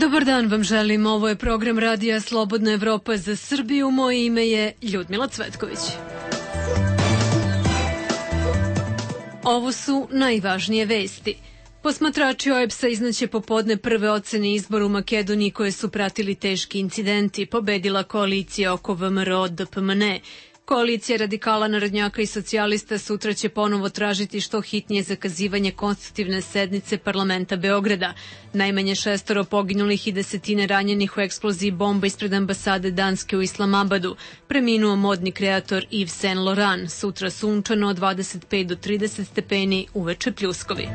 Dobar dan vam želim, ovo je program Radija Slobodna Evropa za Srbiju, moje ime je Ljudmila Cvetković. Ovo su najvažnije vesti. Posmatrači OEBS-a iznaće popodne prve ocene izbora u Makedoniji koje su pratili teški incidenti. Pobedila koalicija oko VMRO-DPMNE. Koalicija radikala, narodnjaka i socijalista sutra će ponovo tražiti što hitnije zakazivanje konstitutivne sednice parlamenta Beograda. Najmanje 6 poginulih i desetine ranjenih u eksploziji bomba ispred ambasade Danske u Islamabadu. Preminuo modni kreator Yves Saint Laurent. Sutra sunčano od 25 do 30 stepeni, uveče pljuskovi.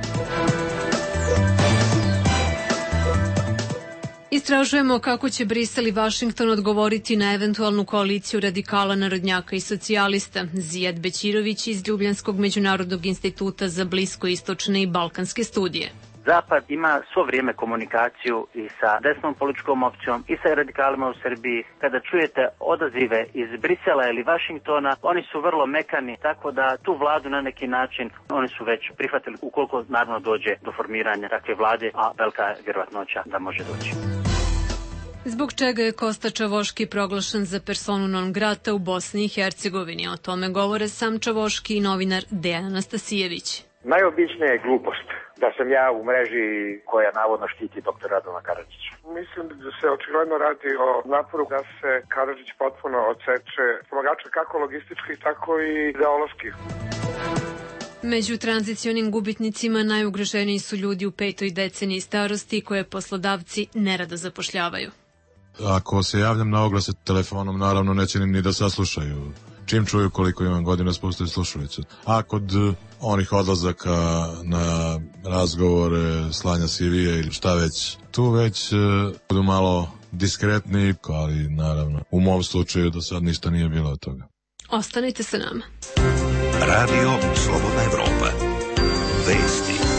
Istražujemo kako će Brisel i Vašington odgovoriti na eventualnu koaliciju radikala, narodnjaka i socijalista. Zijad Bećirović iz Ljubljanskog međunarodnog instituta za bliskoistočne i balkanske studije. Zapad ima svo vrijeme komunikaciju i sa desnom političkom opcijom i sa radikalima u Srbiji. Kada čujete odazive iz Brisela ili Vašingtona, oni su vrlo mekani, tako da tu vladu na neki način oni su već prihvatili ukoliko naravno dođe do formiranja takve vlade, a velika je vjerovatnoća da može doći. Zbog čega je Kosta Čavoški proglašen za personu non grata u Bosni i Hercegovini? O tome govore sam Čavoški i novinar Dejan Anastasijević. Najobičnija je glupost da sam ja u mreži koja navodno štiti dr. Radovana Karadžića. Mislim da se očigledno radi o naporu da se Karadžić potpuno odseče pomagača kako logističkih, tako i ideoloških. Među tranzicionim gubitnicima najugroženiji su ljudi u 5. deceniji starosti koje poslodavci nerado zapošljavaju. Ako se javljam na oglase telefonom, naravno neće ni da saslušaju. Čim čuju koliko imam godina, spustaju slušalicu. A kod onih odlazaka na razgovore, slanja CV-a ili šta već, tu već budu malo diskretni, ali naravno u mom slučaju do sad ništa nije bilo od toga. Ostanite sa nama. Radio Slobodna Evropa. Vesti.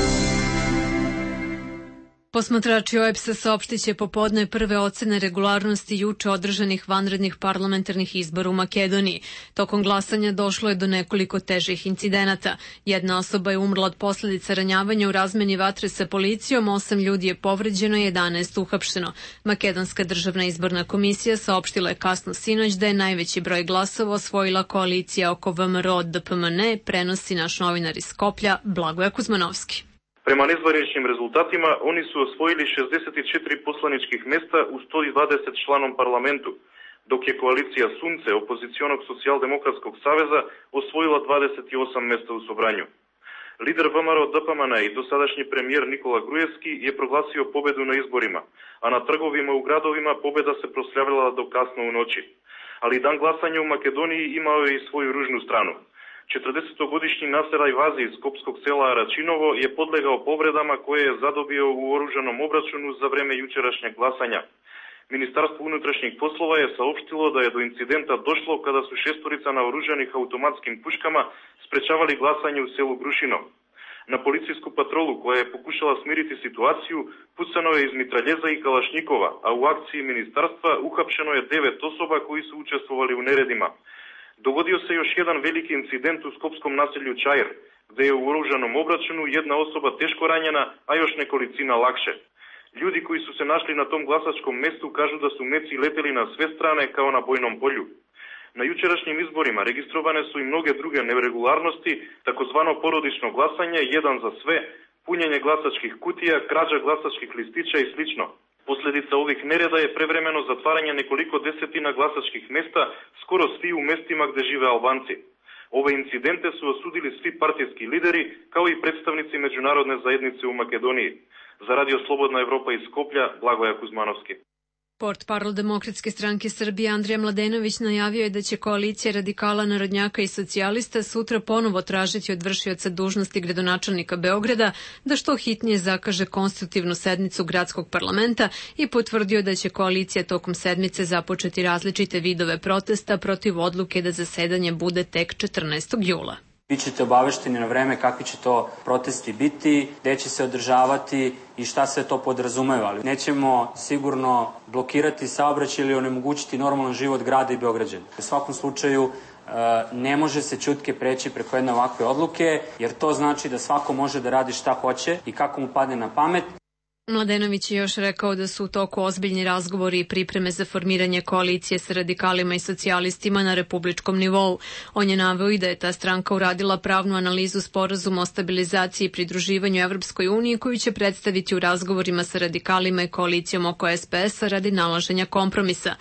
Posmatrači OEBS-a saopštiće popodne prve ocene regularnosti juče održanih vanrednih parlamentarnih izbora u Makedoniji. Tokom glasanja došlo je do nekoliko težih incidenata. Jedna osoba je umrla od posljedica ranjavanja u razmeni vatre sa policijom, 8 ljudi je povređeno i 11 uhapšeno. Makedonska državna izborna komisija saopštila je kasno sinoć da je najveći broj glasova osvojila koalicija oko VMRO-DPMNE, prenosi naš novinar iz Skoplja Blagoje Kuzmanovski. Prema nezvaničnim rezultatima, oni su osvojili 64 poslaničkih mesta u 120 članom parlamentu, dok je koalicija Sunce opozicionog socijaldemokratskog saveza osvojila 28 mesta u Sobranju. Lider VMRO-DPMNE i dosadašnji premijer Nikola Grujevski je proglasio pobedu na izborima, a na trgovima u gradovima pobeda se proslavila do kasno u noći. Ali dan glasanja u Makedoniji imao je i svoju ružnu stranu. 40-godišnji Naser Ajvazi iz skopskog sela Aračinovo je podlegao povredama koje je zadobio u oružanom obračunu za vreme jučerašnjeg glasanja. Ministarstvo unutrašnjih poslova je saopštilo da je do incidenta došlo kada su 6 naoružanih automatskim puškama sprečavali glasanje u selu Grušino. Na policijsku patrolu koja je pokušala smiriti situaciju pucano je iz mitraljeza i kalašnjikova, a u akciji ministarstva uhapšeno je 9 osoba koji su učestvovali u neredima. Dogodio se još jedan veliki incident u skopskom naselju Čajer, gde je u oružanom obračunu jedna osoba teško ranjena, a još nekolicina lakše. Ljudi koji su se našli na tom glasačkom mestu kažu da su meci leteli na sve strane kao na bojnom polju. Na jučerašnjim izborima registrovane su i mnoge druge neregularnosti, takozvano porodično glasanje, jedan za sve, punjenje glasačkih kutija, krađa glasačkih listića i slično. Posljedica ovih nereda je prevremeno zatvaranje nekoliko desetina glasačkih mesta, skoro svi u mestima gde žive Albanci. Ove incidente su osudili svi partijski lideri, kao i predstavnici međunarodne zajednice u Makedoniji. Za Radio Slobodna Evropa iz Skoplja, Blagoje Kuzmanovski. Portparol Demokratske stranke Srbije Andrija Mladenović najavio je da će koalicija radikala, narodnjaka i socijalista sutra ponovo tražiti od vršioca dužnosti gradonačelnika Beograda da što hitnije zakaže konstitutivnu sednicu gradskog parlamenta i potvrdio da će koalicija tokom sedmice započeti različite vidove protesta protiv odluke da zasedanje bude tek 14. jula. Bićete obavešteni na vreme kakvi će to protesti biti, gde će se održavati i šta se to podrazumeva. Ali nećemo sigurno blokirati saobraćaj ili onemogućiti normalan život grada i Beograđana. U svakom slučaju ne može se ćutke preći preko jedne ovakve odluke, jer to znači da svako može da radi šta hoće i kako mu padne na pamet. Mladenović je još rekao da su u toku ozbiljni razgovori i pripreme za formiranje koalicije sa radikalima i socijalistima na republičkom nivou. On je naveo i da je ta stranka uradila pravnu analizu sporazuma o stabilizaciji i pridruživanju Evropskoj uniji koju će predstaviti u razgovorima sa radikalima i koalicijom oko SPS-a radi nalaženja kompromisa.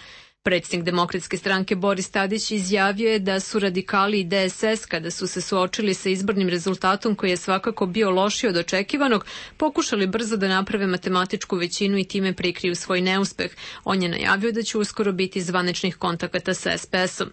Predsjednik Demokratske stranke Boris Tadić izjavio je da su radikali i DSS, kada su se suočili sa izbornim rezultatom koji je svakako bio lošiji od očekivanog, pokušali brzo da naprave matematičku većinu i time prikriju svoj neuspeh. On je najavio da će uskoro biti zvaničnih kontakata sa SPS-om.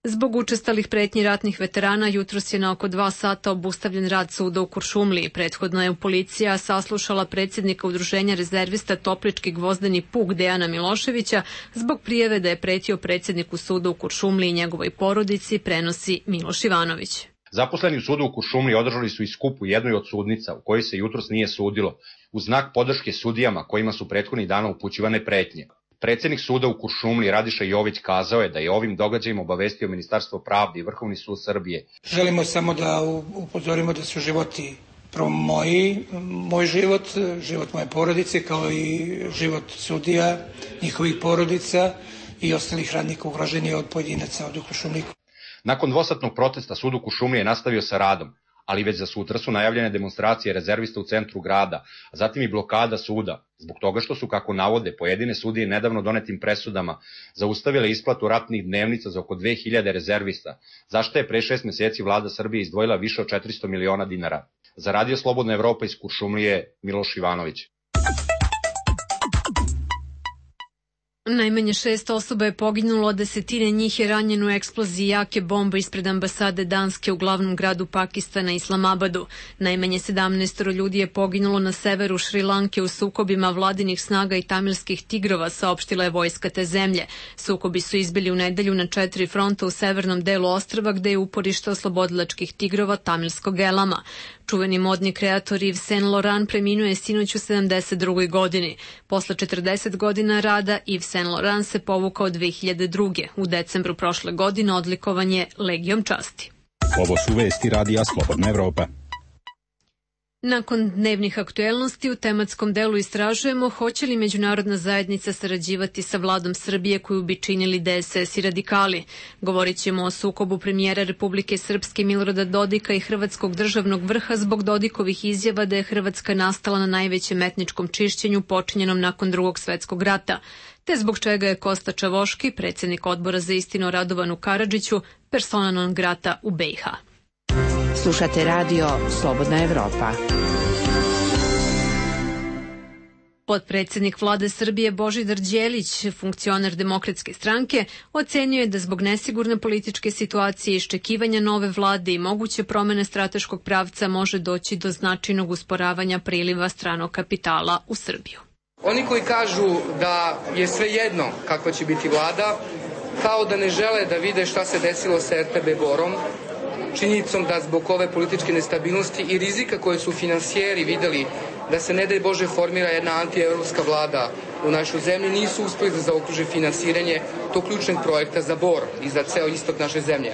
Zbog učestalih pretnji ratnih veterana, jutros je na oko 2 sata obustavljen rad suda u Kuršumliji. Prethodno je policija saslušala predsjednika udruženja rezervista Toplički gvozdeni puk Dejana Miloševića zbog prijave da je pretio predsjedniku suda u Kuršumliji i njegovoj porodici, prenosi Miloš Ivanović. Zaposleni u sudu u Kuršumliji održali su i skup u jednoj od sudnica u kojoj se jutros nije sudilo, u znak podrške sudijama kojima su prethodnih dana upućivane pretnje. Predsjednik suda u Kuršumliji Radiša Jović kazao je da je ovim događajima obavestio Ministarstvo pravde i Vrhovni sud Srbije. Želimo samo da upozorimo da su životi prvo moj život moje porodice, kao i život sudija, njihovih porodica i ostalih radnika ugroženih od pojedinaca od Kuršumliji. Nakon dvosatnog protesta sud u Kuršumliji je nastavio sa radom, ali već za sutra su najavljene demonstracije rezervista u centru grada, a zatim i blokada suda, zbog toga što su, kako navode, pojedine sudije nedavno donetim presudama zaustavile isplatu ratnih dnevnica za oko 2000 rezervista, zašto je pre 6 meseci vlada Srbije izdvojila više od 400 miliona dinara. Za Radio Slobodna Evropa iz Kuršumlije, Miloš Ivanović. Najmanje 6 osoba je poginulo, a desetine njih je ranjeno u eksploziji jake bombe ispred ambasade Danske u glavnom gradu Pakistana, Islamabadu. Najmanje 17 ljudi je poginulo na severu Šrilanke u sukobima vladinih snaga i tamilskih tigrova, saopštila je vojska te zemlje. Sukobi su izbili u nedelju na 4 fronta u severnom delu ostrva, gde je uporište oslobodilačkih tigrova tamilskog elama. Čuveni modni kreator Yves Saint Laurent preminuo je sinoć u 72. godini. Posle 40 godina rada, Yves Saint Laurent se povukao 2002. U decembru prošle godine odlikovan je Legijom časti. Ovo su vesti Radija Slobodna Evropa. Nakon dnevnih aktuelnosti u tematskom delu istražujemo hoće li međunarodna zajednica sarađivati sa vladom Srbije koju bi činili DSS i radikali. Govorit ćemo o sukobu premijera Republike Srpske Milorada Dodika i hrvatskog državnog vrha zbog Dodikovih izjava da je Hrvatska nastala na najvećem etničkom čišćenju počinjenom nakon Drugog svetskog rata, te zbog čega je Kosta Čavoški, predsjednik odbora za istinu Radovanu Karadžiću, persona non grata u BiH. Slušate radio Slobodna Evropa. Potpredsjednik vlade Srbije Božidar Đelić, funkcioner Demokratske stranke, ocenio je da zbog nesigurne političke situacije i iščekivanja nove vlade i moguće promene strateškog pravca može doći do značajnog usporavanja priliva stranog kapitala u Srbiju. Oni koji kažu da je sve jedno kakva će biti vlada, kao da ne žele da vide šta se desilo sa RTB Borom, činjenicom da zbog ove političke nestabilnosti i rizika koje su finansijeri videli da se ne daj Bože formira jedna antievropska vlada u našoj zemlji, nisu uspeli da zaokruže finansiranje tog ključnog projekta za Bor i za ceo istok naše zemlje.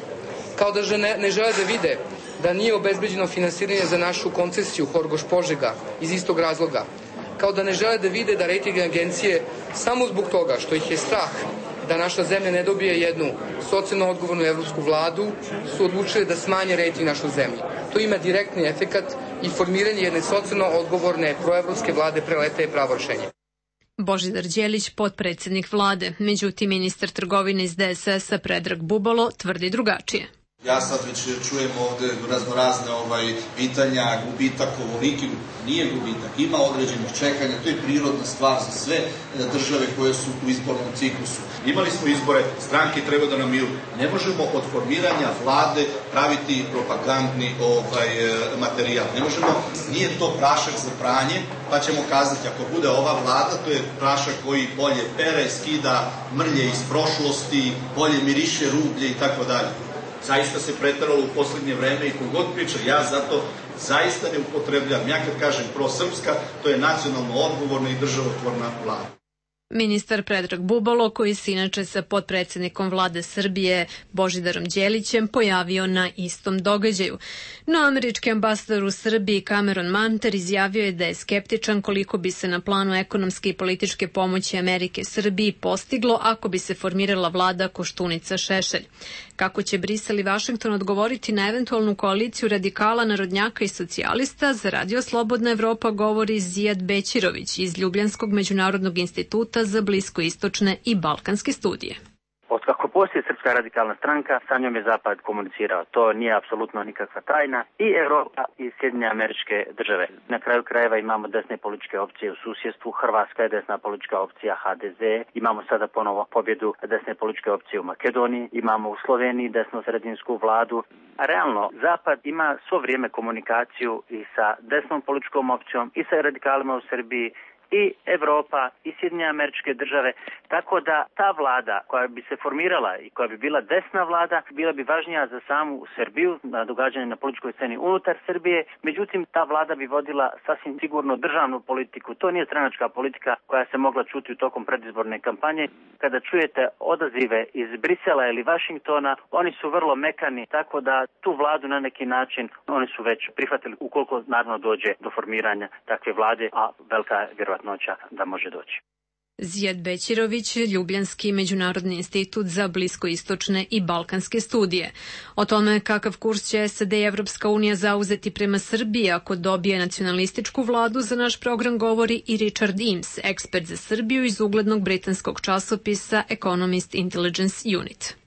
Kao da ne žele da vide da nije obezbeđeno finansiranje za našu koncesiju Horgoš-Požega iz istog razloga. Kao da ne žele da vide da rejting agencije samo zbog toga što ih je strah da naša zemlja ne dobije jednu socijalno odgovornu evropsku vladu, su odlučili da smanje rejting našoj zemlji. To ima direktni efekat i formiranje jedne socijalno odgovorne proevropske vlade preleta je pravo rešenje. Božidar Đelić, potpredsjednik vlade. Međutim, ministar trgovine iz DSS-a Predrag Bubalo tvrdi drugačije. Ja sad već čujem ovde raznorazne pitanja, gubitak ovoliki, nije gubitak, ima određenih čekanja, to je prirodna stvar za sve države koje su u izbornom ciklusu. Imali smo izbore, stranke treba da nam idu. Ne možemo od formiranja vlade praviti propagandni materijal. Ne možemo, nije to prašak za pranje, pa ćemo kazati ako bude ova vlada, to je prašak koji bolje pere, skida mrlje iz prošlosti, bolje miriše rublje i tako dalje. Zaista se pretaralo u poslednje vreme i kogod priča, ja zato zaista ne upotrebljam. Ja kad kažem prosrpska, to je nacionalno odgovorna i državotvorna vlada. Ministar Predrag Bubalo, koji se inače sa potpredsednikom vlade Srbije Božidarom Đelićem pojavio na istom događaju. No američki ambasador u Srbiji Cameron Manter izjavio je da je skeptičan koliko bi se na planu ekonomske i političke pomoći Amerike Srbiji postiglo ako bi se formirala vlada Koštunica-Šešelj. Kako će Brisel i Vašington odgovoriti na eventualnu koaliciju radikala, narodnjaka i socijalista, za Radio Slobodna Evropa govori Zijad Bećirović iz Ljubljanskog međunarodnog instituta za bliskoistočne i balkanske studije. Otkako postoji Srpska radikalna stranka, sa njom je Zapad komunicirao. To nije apsolutno nikakva tajna. I Evropa i Sjedinjene Američke Države. Na kraju krajeva imamo desne političke opcije u susjedstvu. Hrvatska je desna politička opcija HDZ. Imamo sada ponovo pobjedu desne političke opcije u Makedoniji. Imamo u Sloveniji desno-sredinsku vladu. A realno, Zapad ima svo vrijeme komunikaciju i sa desnom političkom opcijom i sa radikalima u Srbiji, i Evropa i Sjedinjene Američke Države, tako da ta vlada koja bi se formirala i koja bi bila desna vlada, bila bi važnija za samu Srbiju, na događanje na političkoj sceni unutar Srbije, međutim ta vlada bi vodila sasvim sigurno državnu politiku. To nije stranačka politika koja se mogla čuti u tokom predizborne kampanje. Kada čujete odazive iz Brisela ili Vašingtona, oni su vrlo mekani, tako da tu vladu na neki način oni su već prihvatili ukoliko naravno dođe do formiranja takve vlade, a velika je vjerovatnoća da može doći. Zijad Bećirović, Ljubljanski međunarodni institut za bliskoistočne i balkanske studije. O tome kakav kurs će SAD i Evropska unija zauzeti prema Srbiji ako dobije nacionalističku vladu, za naš program govori i Richard Eames, ekspert za Srbiju iz uglednog britanskog časopisa Economist Intelligence Unit.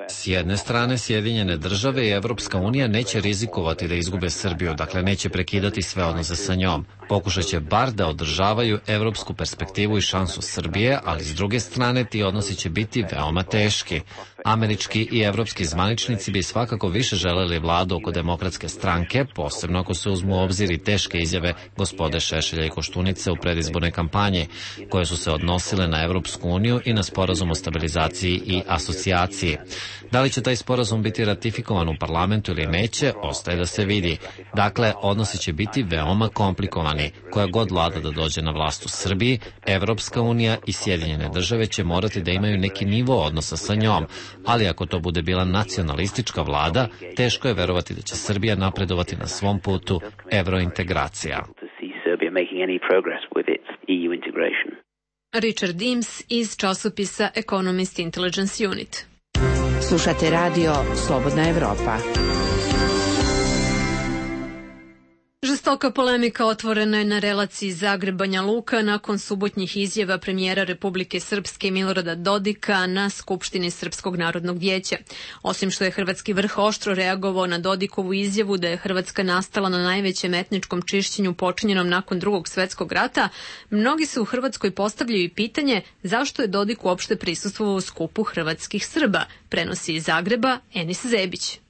S jedne strane, Sjedinjene države i Evropska unija neće rizikovati da izgube Srbiju, dakle neće prekidati sve odnose sa njom. Pokušat će bar da održavaju evropsku perspektivu i šansu Srbije, ali s druge strane ti odnosi će biti veoma teški. Američki i evropski zvaničnici bi svakako više želeli vladu oko demokratske stranke, posebno ako se uzmu u obzir i teške izjave gospode Šešelja i Koštunice u predizbornoj kampanji, koje su se odnosile na Evropsku uniju i na sporazum o stabilizaciji i asocijaciji. Da li će taj sporazum biti ratifikovan u parlamentu ili neće, ostaje da se vidi. Dakle, odnosi će biti veoma komplikovani. Koja god vlada da dođe na vlast u Srbiji, Evropska unija i Sjedinjene države će morati da imaju neki nivo odnosa sa njom, ali ako to bude bila nacionalistička vlada, teško je verovati da će Srbija napredovati na svom putu evrointegracija. Richard Eames iz časopisa Economist Intelligence Unit. Slušate radio Slobodna Evropa. Žestoka polemika otvorena je na relaciji Zagreb-Banja Luka nakon subotnjih izjava premijera Republike Srpske Milorada Dodika na Skupštini Srpskog narodnog vijeća. Osim što je hrvatski vrh oštro reagovao na Dodikovu izjavu da je Hrvatska nastala na najvećem etničkom čišćenju počinjenom nakon Drugog svetskog rata, mnogi se u Hrvatskoj postavljaju i pitanje zašto je Dodik uopšte prisustvovao u skupu hrvatskih Srba, prenosi iz Zagreba Enis Zebić.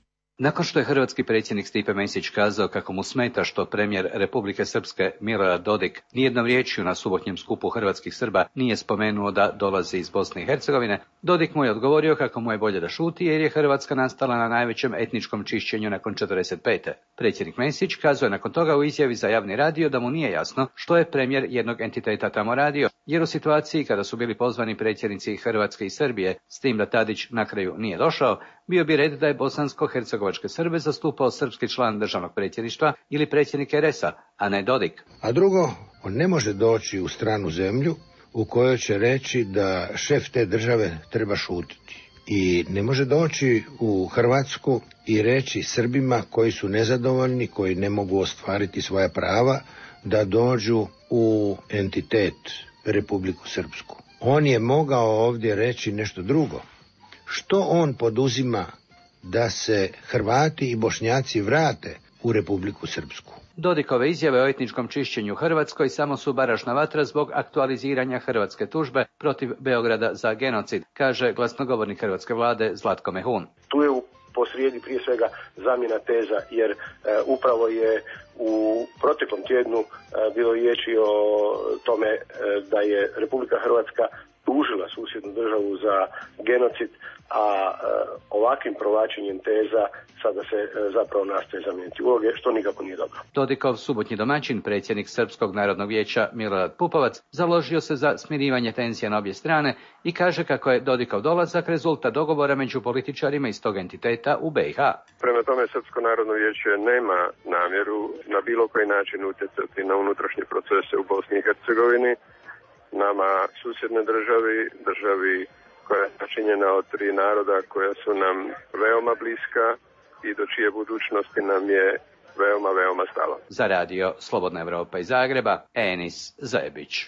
Nakon što je hrvatski predsjednik Stipe Mesić kazao kako mu smeta što premijer Republike Srpske Milorad Dodik nijednom riječju na subotnjem skupu hrvatskih Srba nije spomenuo da dolazi iz Bosne i Hercegovine, Dodik mu je odgovorio kako mu je bolje da šuti jer je Hrvatska nastala na najvećem etničkom čišćenju nakon 45. Predsjednik Mesić kazao je nakon toga u izjavi za javni radio da mu nije jasno što je premijer jednog entiteta tamo radio, jer u situaciji kada su bili pozvani predsjednici Hrvatske i Srbije, s tim da Tadić na kraju nije došao, bio bi red da je bosansko-hercegovačke Srbe zastupao srpski član državnog predsjedništva ili predsjednik RS-a, a ne Dodik. A drugo, on ne može doći u stranu zemlju u kojoj će reći da šef te države treba šutiti. I ne može doći u Hrvatsku i reći Srbima koji su nezadovoljni, koji ne mogu ostvariti svoja prava, da dođu u entitet Republiku Srpsku. On je mogao ovdje reći nešto drugo. Što on poduzima da se Hrvati i Bošnjaci vrate u Republiku Srpsku? Dodikove izjave o etničkom čišćenju u Hrvatskoj samo su baražna vatra zbog aktualiziranja hrvatske tužbe protiv Beograda za genocid, kaže glasnogovornik hrvatske vlade Zlatko Mehun. Tu je posrijedi prije svega zamjena teza, jer upravo je u proteklom tjednu bilo riječi o tome da je Republika Hrvatska tužila susjednu državu za genocid, a ovakvim provlačenjem teza sada se zapravo nastoje zamijeniti uloge, što nikako nije dobro. Dodikov subotnji domaćin, predsjednik Srpskog narodnog vijeća Milorad Pupovac, založio se za smirivanje tenzija na obje strane i kaže kako je Dodikov dolazak rezultat dogovora među političarima iz tog entiteta u BiH. Prema tome, Srpsko narodno vijeće nema namjeru na bilo koji način utjecati na unutrašnje procese u Bosni i Hercegovini. Nama susjedne državi koja je načinjena od 3 naroda koja su nam veoma bliska i do čije budućnosti nam je veoma stalo. Za radio Slobodna Evropa iz Zagreba, Enis Zajebić.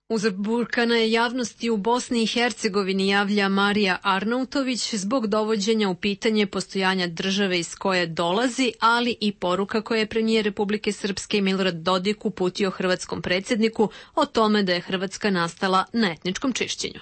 Uzburkana je javnosti u Bosni i Hercegovini, javlja Marija Arnautović, zbog dovođenja u pitanje postojanja države iz koje dolazi, ali i poruka koje je premijer Republike Srpske Milorad Dodik uputio hrvatskom predsjedniku o tome da je Hrvatska nastala na etničkom čišćenju.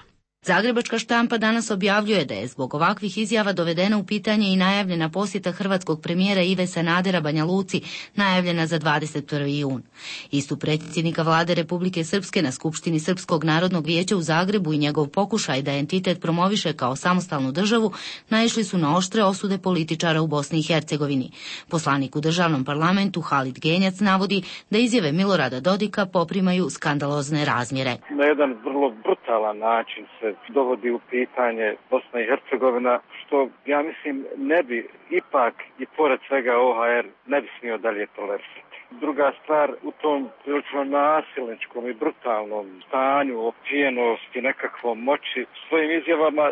Zagrebačka štampa danas objavljuje da je zbog ovakvih izjava dovedena u pitanje i najavljena posjeta hrvatskog premijera Ive Sanadera Banja Luci, najavljena za 21. jun. Istup predsjednika vlade Republike Srpske na Skupštini Srpskog narodnog vijeća u Zagrebu i njegov pokušaj da entitet promoviše kao samostalnu državu naišli su na oštre osude političara u Bosni i Hercegovini. Poslanik u državnom parlamentu Halid Genjac navodi da izjave Milorada Dodika poprimaju skandalozne razmjere. Na jedan vrlo brutalan način se dovodi u pitanje Bosna i Hercegovina, što ja mislim ne bi ipak i pored svega OHR ne bi smio dalje tolerisati. Druga stvar, u tom prilično nasilničkom i brutalnom stanju, opijenosti, nekakvom moći, svojim izjavama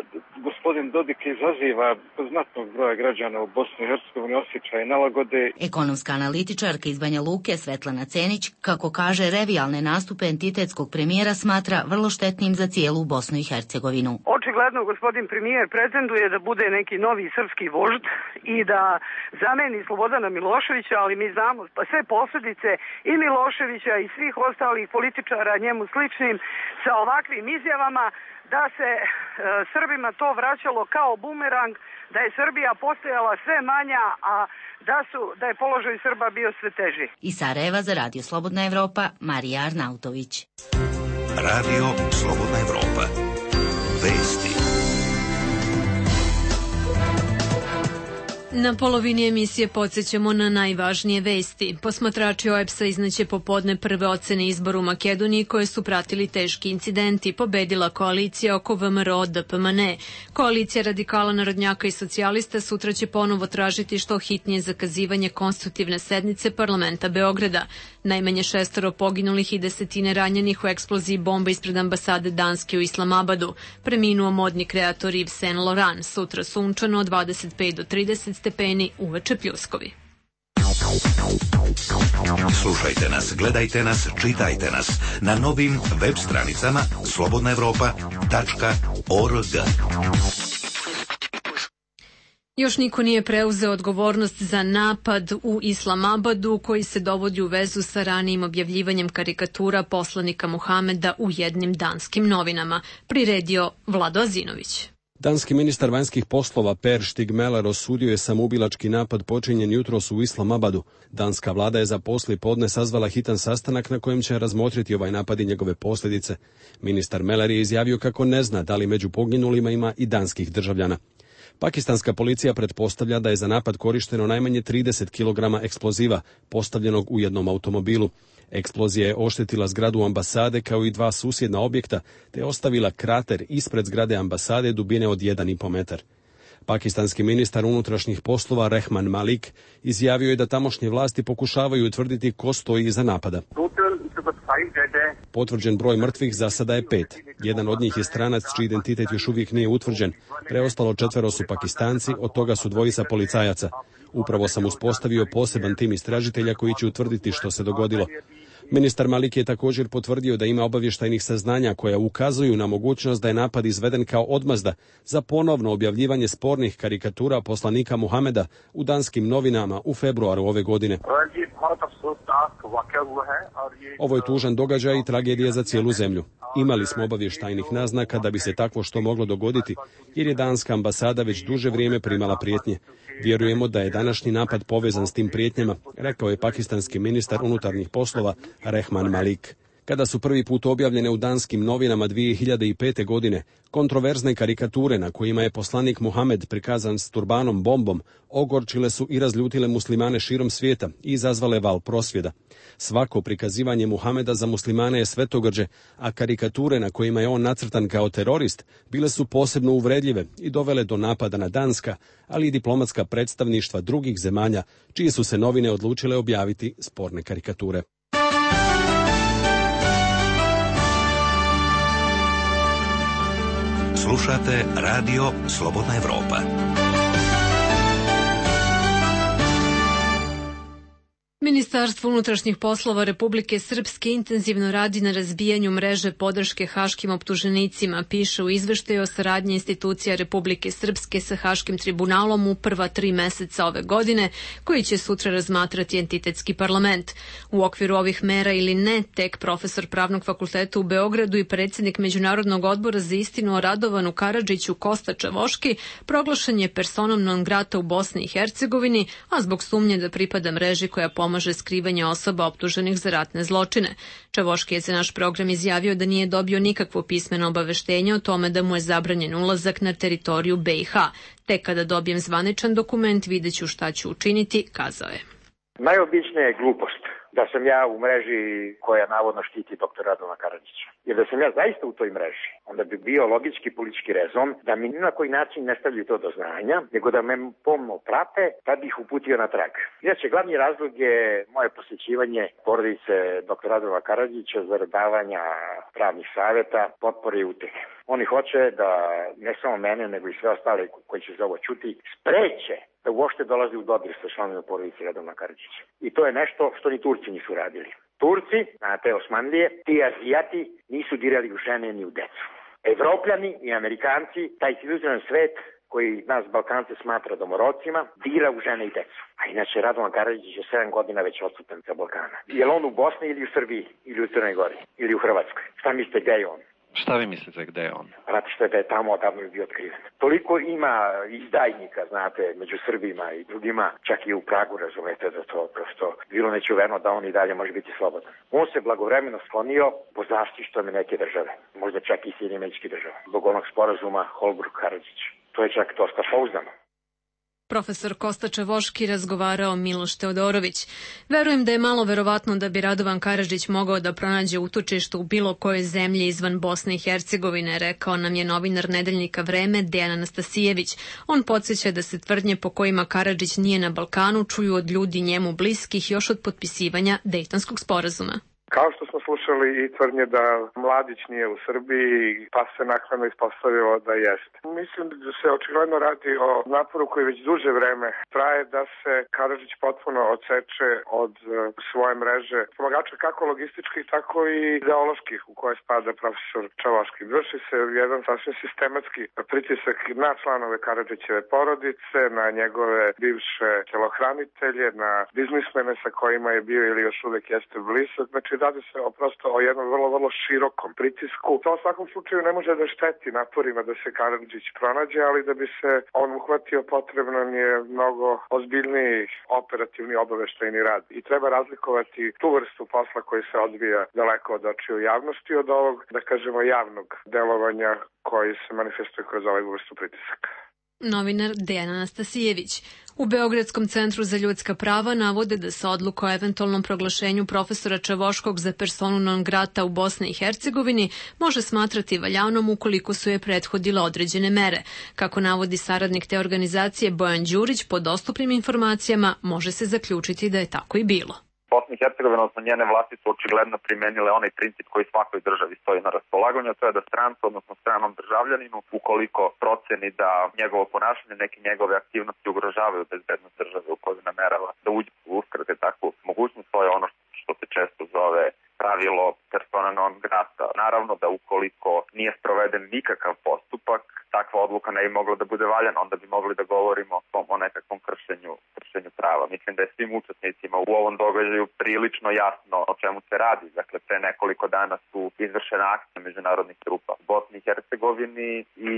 gospodin Dodik izaziva kod znatnog broja građana u Bosni i Hercegovini osjećaj nelagode. Ekonomska analitičarka iz Banja Luke Svetlana Cenić, kako kaže, revijalne nastupe entitetskog premijera smatra vrlo štetnim za cijelu Bosnu i Hercegovinu. Očigledno gospodin premijer pretenduje da bude neki novi srpski vožd i da zameni Slobodana Miloševića, ali mi znamo pa sve posljedice i Miloševića i svih ostalih političara njemu sličnim sa ovakvim izjavama da se Srbima to vraćalo kao bumerang, da je Srbija postojala sve manja, a da je položaj Srba bio sve teži. Iz Sarajeva za Radio Slobodna Evropa, Marija Arnautović. Radio Slobodna Evropa. Vesti. Na polovini emisije podsjećamo na najvažnije vesti. Posmatrači OEBS-a izneće popodne prve ocene izbora u Makedoniji koje su pratili teški incidenti. Pobedila koalicija oko VMRO DPMNE. Koalicija radikala, narodnjaka i socijalista sutra će ponovo tražiti što hitnije zakazivanje konstitutivne sednice parlamenta Beograda. Najmanje 6 poginulih i 10 ranjenih u eksploziji bomba ispred ambasade Danske u Islamabadu. Preminuo modni kreator Yves Saint Laurent. Sutra sunčano od 25 do 30 stepeni, uveče pljuskovi. Slušajte nas, gledajte nas, čitajte nas na novim web stranicama slobodnaevropa.org. Još niko nije preuzeo odgovornost za napad u Islamabadu koji se dovodi u vezu sa ranijim objavljivanjem karikatura poslanika Muhameda u jednim danskim novinama, priredio Vlado Azinović. Danski ministar vanjskih poslova Per Stigmeler osudio je samoubilački napad počinjen jutros u Islamabadu. Danska vlada je za poslijepodne sazvala hitan sastanak na kojem će razmotriti ovaj napad i njegove posljedice. Ministar Meller je izjavio kako ne zna da li među poginulima ima i danskih državljana. Pakistanska policija pretpostavlja da je za napad korišteno najmanje 30 kg eksploziva postavljenog u jednom automobilu. Eksplozija je oštetila zgradu ambasade kao i 2 susjedna objekta te ostavila krater ispred zgrade ambasade dubine od 1,5 metar. Pakistanski ministar unutrašnjih poslova Rehman Malik izjavio je da tamošnje vlasti pokušavaju utvrditi ko stoji iza napada. Potvrđen broj mrtvih za sada je 5. Jedan od njih je stranac čiji identitet još uvijek nije utvrđen. Preostalo 4 su Pakistanci, od toga su 2 policajaca. Upravo sam uspostavio poseban tim istražitelja koji će utvrditi što se dogodilo. Ministar Malik je također potvrdio da ima obavještajnih saznanja koja ukazuju na mogućnost da je napad izveden kao odmazda za ponovno objavljivanje spornih karikatura poslanika Muhameda u danskim novinama u februaru ove godine. Ovo je tužan događaj i tragedija za cijelu zemlju. Imali smo obavještajnih naznaka da bi se takvo što moglo dogoditi, jer je danska ambasada već duže vrijeme primala prijetnje. Vjerujemo da je današnji napad povezan s tim prijetnjama, rekao je pakistanski ministar unutarnjih poslova Rehman Malik. Kada su prvi put objavljene u danskim novinama 2005. godine, kontroverzne karikature na kojima je poslanik Muhamed prikazan s turbanom bombom ogorčile su i razljutile muslimane širom svijeta i izazvale val prosvjeda. Svako prikazivanje Muhameda za muslimane je svetogrđe, a karikature na kojima je on nacrtan kao terorist bile su posebno uvredljive i dovele do napada na danska, ali i diplomatska predstavništva drugih zemalja, čije su se novine odlučile objaviti sporne karikature. Slušate Radio Slobodna Evropa. Ministarstvo unutrašnjih poslova Republike Srpske intenzivno radi na razbijanju mreže podrške haškim optuženicima, piše u izveštaju o saradnji institucija Republike Srpske sa Haškim tribunalom u prva 3 meseca ove godine, koji će sutra razmatrati entitetski parlament. U okviru ovih mera ili ne, tek profesor Pravnog fakulteta u Beogradu i predsjednik Međunarodnog odbora za istinu o Radovanu Karadžiću Kosta Čavoški proglašen je personom non grata u Bosni i Hercegovini, a zbog sumnje da pripada mreži koja pomaže skrivanje osoba optuženih za ratne zločine. Čavoški je za naš program izjavio da nije dobio nikakvo pismeno obaveštenje o tome da mu je zabranjen ulazak na teritoriju BiH. Tek kada dobijem zvaničan dokument, vidjet ću šta ću učiniti, kazao je. Najobičnija je glupost da sam ja u mreži koja navodno štiti dr. Radovana Karadžića. Jer da sam ja zaista u toj mreži, onda bi bio logički politički rezon da mi ni na koji način ne stavljaju to do znanja, nego da me pomno prate, tad bih uputio na trag. Inače, glavni razlog je moje posjećivanje porodice dr. Radovana Karadžića zarad davanja pravnih savjeta, potpore i utehe. Oni hoće da ne samo mene, nego i sve ostale koji će za ovo čuti, spreče da uopšte dolazi u dodir sa članovima porodice Radovana Karadžića. I to je nešto što ni Turci nisu radili. Turci, na te Osmanlije, ti Azijati nisu dirali u žene ni u decu. Evropljani i Amerikanci, taj civilizovan svet koji nas Balkance smatra domorocima, dira u žene i decu. A inače Radovan Karadžić je 7 godina već odsutan sa Balkana. Je li on u Bosni ili u Srbiji, ili u Crnoj Gori, ili u Hrvatskoj? Šta mislite, gde je on? Šta vi mislite, gde je on? Znate što je da je tamo odavno bio otkriven. Toliko ima izdajnika, znate, među Srbima i drugima, čak i u Pragu, razumete, da to prosto bilo nečuveno da on i dalje može biti slobodan. On se blagovremeno sklonio po zaštitom neke države, možda čak i Sjedinjenih Američkih Država, zbog onog sporazuma Holbrooke-Karadžić. To je čak dosta pouzdano. Profesor Kosta Čavoški razgovarao Miloš Teodorović. Verujem da je malo verovatno da bi Radovan Karadžić mogao da pronađe utočište u bilo kojoj zemlji izvan Bosne i Hercegovine, rekao nam je novinar nedeljnika Vreme Dejan Anastasijević. On podsjeća da se tvrdnje po kojima Karadžić nije na Balkanu čuju od ljudi njemu bliskih još od potpisivanja Dejtonskog sporazuma. Kao što smo slušali i tvrdnje da Mladić nije u Srbiji, pa se naknadno ispostavilo da jeste. Mislim da se očigledno radi o naporu koji već duže vreme traje da se Karadžić potpuno odseče od svoje mreže pomagača kako logističkih, tako i ideoloških u koje spada profesor Čavoški. Vrši se jedan sasvim sistematski pritisak na članove Karadžićeve porodice, na njegove bivše telohranitelje, na biznismene sa kojima je bio ili još uvek jeste blizak. Znači, radi se prosto o jednom vrlo širokom pritisku. To u svakom slučaju ne može da šteti naporima da se Karadžić pronađe, ali da bi se on uhvatio potrebno je mnogo ozbiljniji operativni obaveštajni rad. I treba razlikovati tu vrstu posla koji se odvija daleko od očiju javnosti od ovog, da kažemo, javnog delovanja koji se manifestuje kroz ovaj vrstu pritisaka. Novinar Dejan Anastasijević. U Beogradskom centru za ljudska prava navode da se odluka o eventualnom proglašenju profesora Čavoškog za personu non grata u Bosni i Hercegovini može smatrati valjanom ukoliko su je prethodile određene mere. Kako navodi saradnik te organizacije Bojan Đurić, po dostupnim informacijama može se zaključiti da je tako i bilo. Bosna i Hercegovina, odnosno njene vlasti su očigledno primenile onaj princip koji svakoj državi stoji na raspolaganju, a to je da strancu, odnosno stranom državljaninu, ukoliko proceni da njegovo ponašanje, neke njegove aktivnosti ugrožavaju bezbednost države u kojoj namerava da uđe u uskrate takvu mogućnost, to je ono što se često zove pravilo persona non grata. Naravno da ukoliko nije sproveden nikakav postupak, takva odluka ne bi mogla da bude valjana, onda bi mogli da govorimo o nekakvom kršenju prava. Mislim da je svim učesnicima u ovom događaju prilično jasno o čemu se radi. Dakle, pre nekoliko dana su izvršena akcija međunarodnih trupa u Bosni i Hercegovini i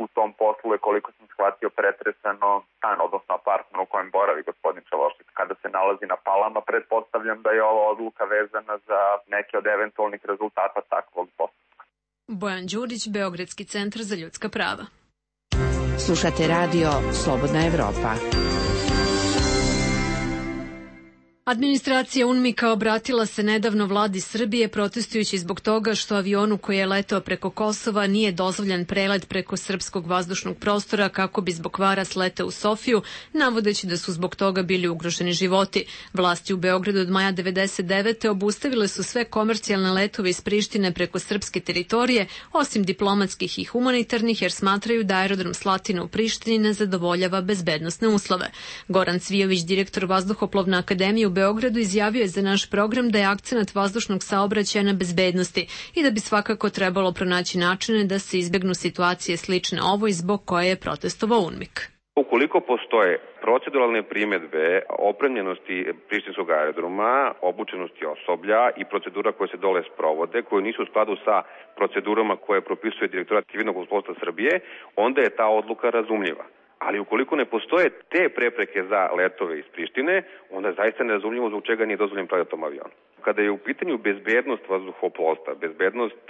u tom poslu je, koliko sam shvatio, uhvatio pretresano stan, odnosno apartman u kojem boravi gospodin Čelošić. Kada se nalazi na Palama, pretpostavljam da je ova odluka vezana za neke od eventualnih rezultata takvog postupka. Bojan Đurić, Beogradski centar za ljudska prava. Slušate radio Slobodna Evropa. Administracija UNMIK-a obratila se nedavno vladi Srbije protestujući zbog toga što avionu koji je letao preko Kosova nije dozvoljen prelet preko srpskog vazdušnog prostora kako bi zbog kvara sletao u Sofiju, navodeći da su zbog toga bili ugroženi životi. Vlasti u Beogradu od maja 1999. obustavile su sve komercijalne letove iz Prištine preko srpske teritorije, osim diplomatskih i humanitarnih, jer smatraju da aerodrom Slatina u Prištini ne zadovoljava bezbednosne uslove. Goran Cvijović, direktor Vazduhoplovne akademije u Beogradu, izjavio je za naš program da je akcenat vazdušnog saobraćaja na bezbednosti i da bi svakako trebalo pronaći načine da se izbegnu situacije slične ovoj zbog koje je protestovao UNMIK. Ukoliko postoje proceduralne primedbe opremljenosti prištinskog aerodroma, obučenosti osoblja i procedura koje se dole sprovode, koje nisu u skladu sa procedurama koje propisuje Direktorat civilnog vazduhoplovstva Srbije, onda je ta odluka razumljiva. Ali ukoliko ne postoje te prepreke za letove iz Prištine, onda je zaista nerazumljivo zbog čega nije dozvoljen prelet tom avionu. Kada je u pitanju bezbednost vazduhoplovstva, bezbednost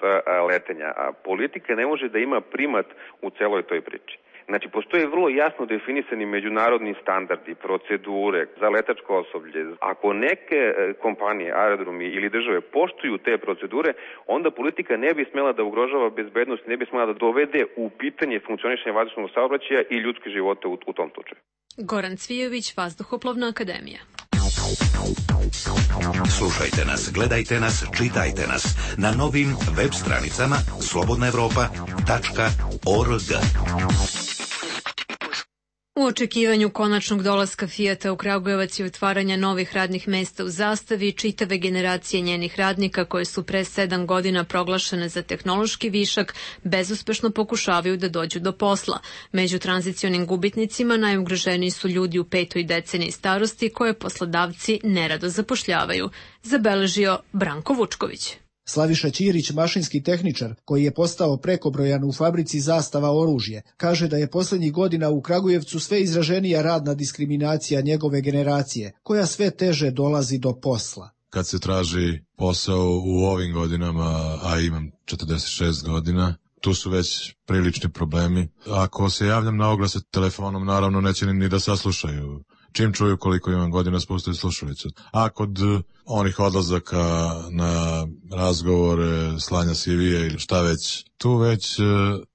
letenja, politika ne može da ima primat u celoj toj priči. Znači, postoje vrlo jasno definisani međunarodni standardi, procedure za letačko osoblje. Ako neke kompanije, aerodromi ili države poštuju te procedure, onda politika ne bi smela da ugrožava bezbednost, ne bi smela da dovede u pitanje funkcionisanja vazdušnog saobraćaja i ljudske živote u tom slučaju. Goran Cvijović, Vazduhoplovna akademija. Slušajte nas, gledajte nas, čitajte nas na novim web stranicama slobodnaevropa.org. U očekivanju konačnog dolaska Fijata u Kragujevac i otvaranja novih radnih mesta u Zastavi, čitave generacije njenih radnika koje su pre 7 godina proglašene za tehnološki višak, bezuspešno pokušavaju da dođu do posla. Među tranzicionim gubitnicima najugroženiji su ljudi u 5. deceniji starosti koje poslodavci nerado zapošljavaju, zabeležio Branko Vučković. Slaviša Ćirić, mašinski tehničar, koji je postao prekobrojan u fabrici Zastava oružje, kaže da je poslednjih godina u Kragujevcu sve izraženija radna diskriminacija njegove generacije, koja sve teže dolazi do posla. Kad se traži posao u ovim godinama, a imam 46 godina, tu su već prilični problemi. Ako se javljam na oglase telefonom, naravno neće ni da saslušaju. Čim čuju koliko imam godina, spustaju slušalicu. A kod onih odlazaka na razgovore, slanja CV-a ili šta već, tu već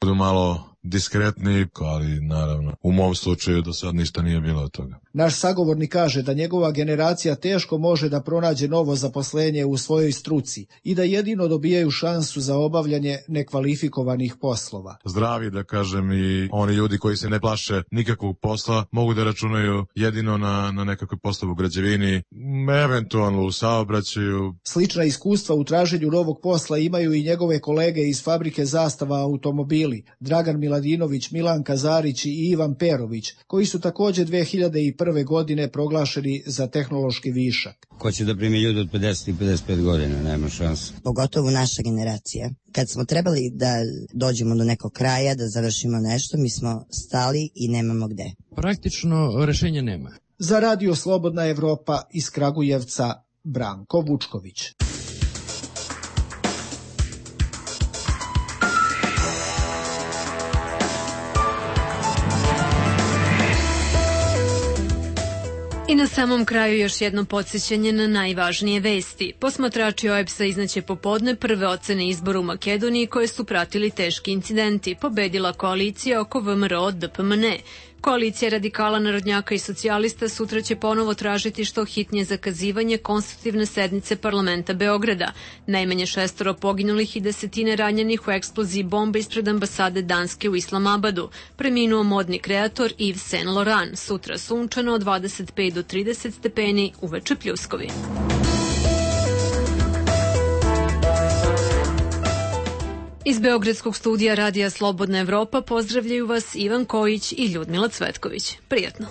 budu malo diskretni, ali naravno u mom slučaju do sad ništa nije bilo od toga. Naš sagovornik kaže da njegova generacija teško može da pronađe novo zaposlenje u svojoj struci i da jedino dobijaju šansu za obavljanje nekvalifikovanih poslova. Zdravi, da kažem, i oni ljudi koji se ne plaše nikakvog posla mogu da računaju jedino na nekakve poslove u građevini, eventualno u saobraćaju. Slična iskustva u traženju novog posla imaju i njegove kolege iz fabrike Zastava automobili, Dragan Miladinović, Milan Kazarić i Ivan Perović, koji su također 2001. godine proglašeni za tehnološki višak. Ko će da primi ljudi od 50 i 55 godina, nema šanse. Pogotovo naša generacija. Kad smo trebali da dođemo do nekog kraja, da završimo nešto, mi smo stali i nemamo gde. Praktično rešenja nema. Za Radio Slobodna Evropa iz Kragujevca, Branko Vučković. I na samom kraju još jedno podsjećanje na najvažnije vesti. Posmatrači OEBS-a iznaće popodne prve ocene izbora u Makedoniji koje su pratili teški incidenti. Pobedila koalicija oko VMRO-DPMNE. Koalicija radikala, narodnjaka i socijalista sutra će ponovo tražiti što hitnije zakazivanje konstitutivne sednice parlamenta Beograda. Najmanje 6 poginulih i desetine ranjenih u eksploziji bombe ispred ambasade Danske u Islamabadu. Preminuo modni kreator Yves Saint Laurent. Sutra sunčano od 25 do 30 stepeni, uveče pljuskovi. Iz Beogradskog studija Radija Slobodna Evropa pozdravljaju vas Ivan Kojić i Ljudmila Cvetković. Prijatno!